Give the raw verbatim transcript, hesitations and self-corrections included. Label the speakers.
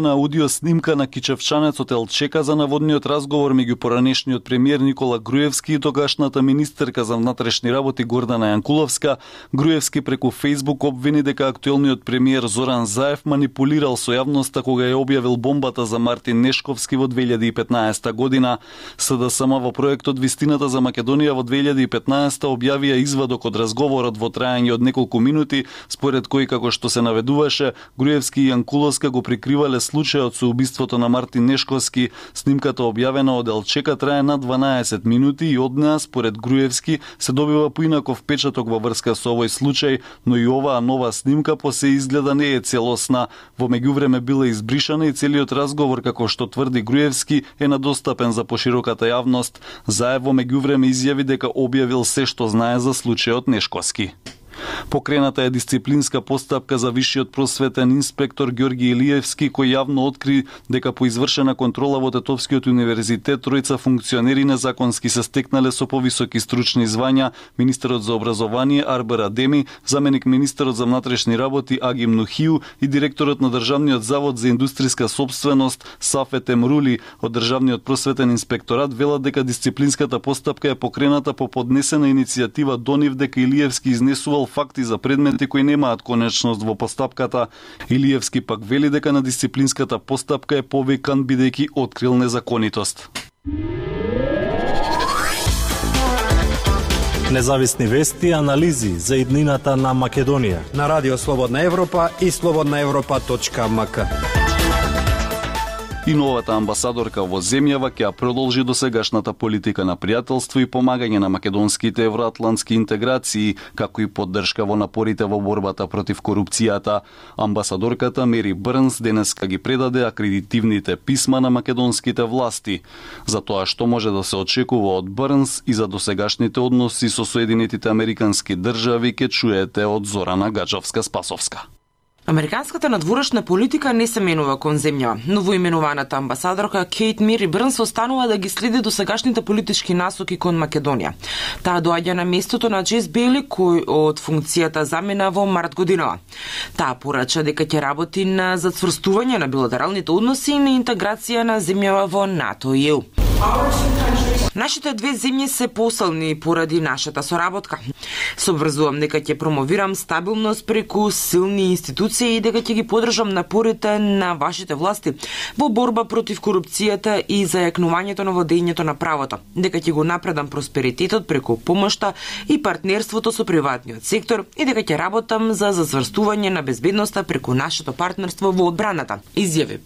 Speaker 1: На аудио снимка на кичевчанецот Елчека за наводниот разговор меѓу поранешниот премиер Никола Груевски и тогашната министерка за внатрешни работи Гордана Јанкуловска, Груевски преку Фејсбук обвини дека актуелниот премиер Зоран Заев манипулирал со јавноста кога ја објавил бомбата за Мартин Нешковски во две илјади и петнаесета година. СДСМ во проектот Вистината за Македонија во две илјади и петнаесета објавија извадок од разговорот во траење од неколку минути, според кој, како што се наведуваше, Груевски и Јанкуловска го прикривале случајот со убиството на Мартин Нешковски. Снимката објавена од Елчека трае на дванаесет минути и од неа, според Груевски, се добива поинаков печаток во врска со овој случај, но и оваа нова снимка по се изгледа не е целосна. Во меѓувреме била избришана и целиот разговор, како што тврди Груевски, е надостапен за пошироката јавност. Заев во меѓувреме изјави дека објавил се што знае за случајот Нешковски. Покрената е дисциплинска постапка за висшиот просветен инспектор Ѓорги Илиевски, кој јавно откри дека по извршена контрола во Тетовскиот универзитет тројца функционери незаконски се стекнале со повисоки стручни звања: министерот за образование Арбер Адеми, заменик министерот за внатрешни работи Агим Нухиу и директорот на Државниот завод за индустријска сопственост Сафет Емрули. Од Државниот просветен инспекторат велат дека дисциплинската постапка е покрената по поднесена иницијатива до нив дека Илиевски изнесувал факти за предмети кои немаат конечност во постапката. Илиевски пак вели дека на дисциплинската постапка е повикан бидејќи открил незаконитост.
Speaker 2: Независни вести и анализи за иднината на Македонија
Speaker 3: на Радио Слободна Европа и слободна европа точка ем ка.
Speaker 1: И новата амбасадорка во земјава ќе ја продолжи досегашната политика на пријателство и помагање на македонските евроатлантски интеграции, како и поддршка во напорите во борбата против корупцијата. Амбасадорката Мери Брнс денеска ги предаде акредитивните писма на македонските власти. За тоа што може да се очекува од Брнс и за досегашните односи со Соединетите Американски држави ќе чуете од Зорана Гаджовска-Спасовска.
Speaker 4: Американската надворешна политика не се менува кон земја. Новоименуваната амбасадорка Кейт Мери Брнс останува да ги следи досегашните политички насоки кон Македонија. Таа доаѓа на местото на Джес Бейли, кој од функцијата замена во март годинава. Таа порача дека ќе работи на зацврстување на билатералните односи и на интеграција на земјава во НАТО и Е У. Нашите две земји се посилни поради нашата соработка. Се обврзувам дека ќе промовирам стабилност преку силни институции и дека ќе ги поддржам напорите на вашите власти во борба против корупцијата и зајакнувањето на владењето на правото. Дека ќе го напредам просперитетот преку помошта и партнерството со приватниот сектор и дека ќе работам за зацврстување на безбедноста преку нашето партнерство во одбраната, изјави